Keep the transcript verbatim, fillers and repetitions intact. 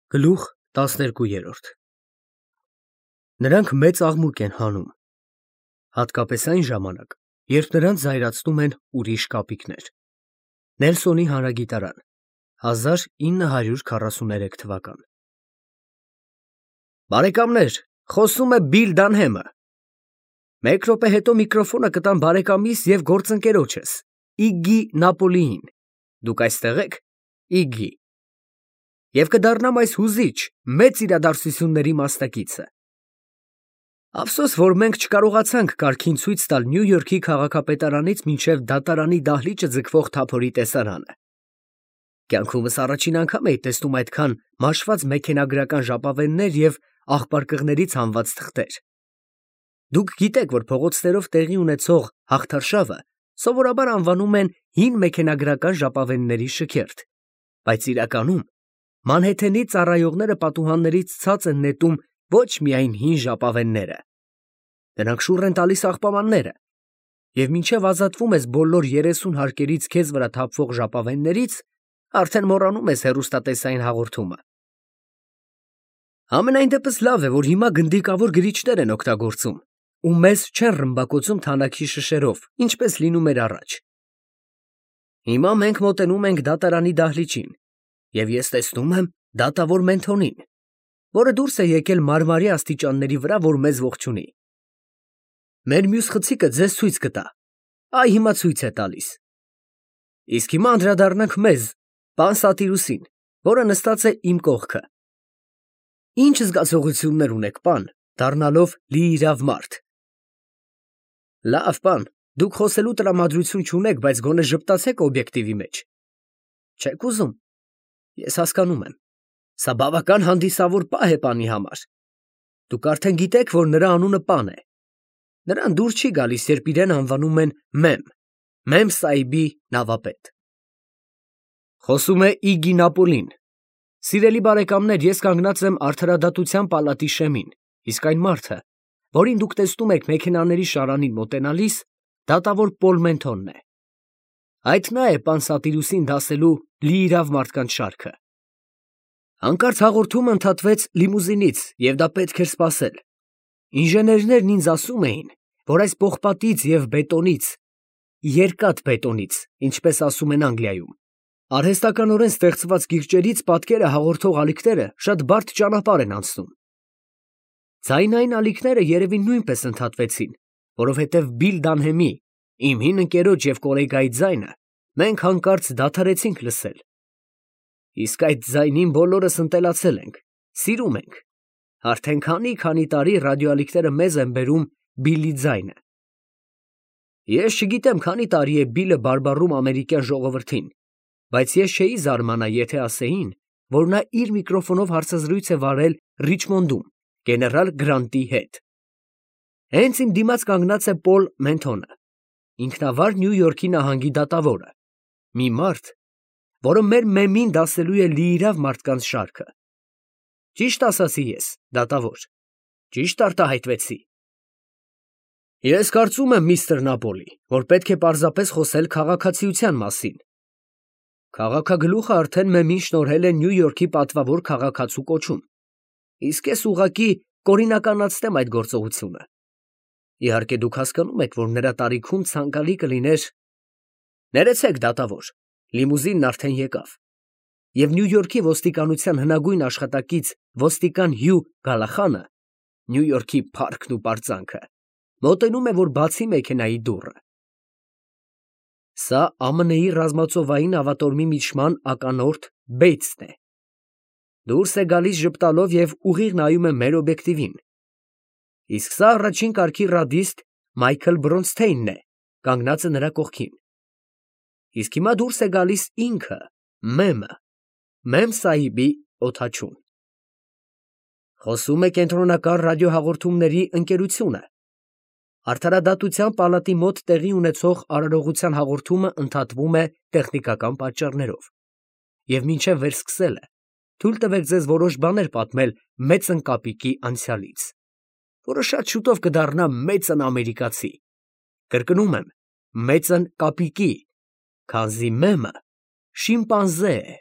Գլուխ տասներկու։ Նրանք մեծ աղմուկ են հանում, հատկապես այն ժամանակ, երբ նրանց զայրացնում են ուրիշ կապիկներ։ Նելսոնի հանրագիտարան, հազար ինը հարյուր քառասուներեք թվական։ Բարեկամներ, խոսում է Բիլ Դանհեմը։ Մեկ րոպե հետո միկրոֆոնը կտամ բարեկամիս և գործընկերոջս, Իգգի Նապոլիին։ Դուք այստեղ եք, Իգգի։ Եվ կդառնամ այս հուզիչ, մեծ իրադարձությունների մասնակիցը։ Ափսոս, որ մենք չկարողացանք կարգին ցույց տալ Նյու Յորքի քաղաքապետարանից մինչև դատարանի դահլիճը ձգվող թափորի տեսարանը։ Կյանքումս առաջին անգամ էի տեսնում այդքան մաշված մեքենագրական ժապավեններ և աղբարկղներից հանված թղթեր։ Դուք գիտեք, որ փողոցներով տեղի ունեցող հաղթարշավը սովորաբար անվանում են հին մեքենագրական ժապավենների շքերթ, բայց իրականում Մանհեթենի ծառայողները պատուհաններից ցած են նետում ոչ միայն հին ժապավենները, նրանք շուռ են տալիս աղբամանները, և մինչև ազատվում ես բոլոր երեսուն հարկերից քեզ վրա թափվող ժապավեններից, արդեն մոռանում ես հեռուստատեսային հաղորդումը։ Համենայն դեպս լավ է, որ հիմա գնդիկավոր գրիչներ են օգտագործում, ու մեզ չեն ռմբակոծում թանաքի շշերով, ինչպես լինում էր առաջ։ Հիմա մենք մոտենում ենք դատարանի դահլիճին, և ես տեսնում եմ դատավոր Մենթոնին, որը դուրս է եկել մարմարի աստիճանների վրա, որ մեզ ողջունի։ Մեր մյուս խցիկը ձեզ ցույց կտա, այ հիմա ցույց է տալիս։ Իսկ հիմա անդրադառնանք մեզ, պան Սատիրուսին, որը նստած է իմ կողքը։ Ինչ զգացողություններ ունեք, պան, դառնալով լիիրավ մարդ։ Լավ, պան, դուք խոսելու տրամադրություն չունեք, բայց գոնե ժպտացեք օբյեկտիվի մեջ։ Չեք ուզում։ Ես հասկանում եմ, սա բավական հանդիսավոր պահ է պանի համար։ Դուք արդեն գիտեք, որ նրա անունը պան է։ Նրան դուր չի գալիս, երբ իրեն անվանում են մեմ, Մեմ Սահիբի նավապետ։ Խոսում է Իգգի Նապոլին։ Սիրելի բարեկամներ, ես կանգնած եմ Արդարադատության պալատի շեմին, իսկ այն մարդը, որին դուք տեսնում եք մեքենաների շարանին մոտենալիս, դատավոր Պոլ Մենթոնն է։ Այդ նա է պան Սատիրուսին դասելու լիիրավ մարդկանց շարքը։ Հանկարծ հաղորդումը ընդհատվեց լիմուզինից, և դա պետք էր սպասել։ Ինժեներներն ինձ ասում էին, որ այս պողպատից և բետոնից, երկաթ բետոնից, ինչպես ասում են Անգլիայում, արհեստականորեն ստեղծված գիրճերից պատկերը հաղորդող ալիքները շատ բարդ ճանապարհ են անցնում։ Ձայնային ալիքները երևի նույնպես ընդհատվեցին, որովհետև Բիլ Դանհեմի, իմ հին ընկերոջ և կոլեգայի ձայնը մենք հանկարծ դադարեցինք լսել։ Իսկ այդ ձայնին բոլորս ընտելացել ենք, սիրում ենք։ Արդեն քանի֊քանի տարի ռադիոալիքները մեզ են բերում Բիլի ձայնը։ Ես չգիտեմ քանի տարի է Բիլը բարբառում ամերիկյան ժողովրդին, բայց ես չէի զարմանա, եթե ասեին, որ նա իր միկրոֆոնով հարցազրույց է վարել Ռիչմոնդում գեներալ Գրանտի հետ։ Հենց իմ դիմաց կանգնած է Պոլ Մենթոնը, ինքնավար Նյու Յորքի նահանգի դատավորը, մի մարդ, որը մեր մեմին դասելու է լիիրավ մարդկանց շարքը։ Ճիշտ ասացի ես, դատավոր, ճիշտ արտահայտվեցի։ Ես կարծում եմ, միստր Նապոլի, որ պետք է պարզապես խոսել քաղաքացիության մասին։ Քաղաքագլուխը արդեն մեմին շնորհել է Նյու Յորքի պատվավոր քաղաքացու կոչում, իսկ ես ուղղակի կօրինականացնեմ այդ գործողությունը։ Իհարկե դուք հասկանում եք, որ նրա տարիքում ցանկալի կլիներ… Ներեցեք, դատավոր, լիմուզինն արդեն եկավ, և Նյու Յորքի ոստիկանության հնագույն աշխատակից ոստիկան Հյու Գալախանը, Նյու Յորքի փառքն ու պարծանքը, մոտենում է, որ բացի մեքենայի դուռը։ Սա Ամն Ի ռազմածովային ավատորմի միջման ականորդ Բեյթսն է։ Դուրս է գալիս ժպտալով և ուղիղ նայում է մեր օբյեկտիվին։ Իսկ սա առաջին կարգի ռադիստ Մայքլ Բրոնսթեյնն է, կանգնածը նրա կողքին։ Իսկ հիմա դուրս է գալիս ինքը, մեմը, Մեմ Սահիբի օդաչուն։ Խոսում է կենտրոնական ռադիոհաղորդումների ընկերությունը։ Արդարադատության պալատի մոտ տեղի ունեցող արարողության հաղորդումը ընդհատվում է տեխնիկական պատճառներով, և մինչև վերսկսելը թույլ տվեք ձեզ որոշ բաներ պատմել մեծն կապիկի անցյալից, որը շատ շուտով կդառնա մեծն ամերիկացի, կրկնում եմ, մեծն կապիկի, քանզի մեմը շիմպանզե է։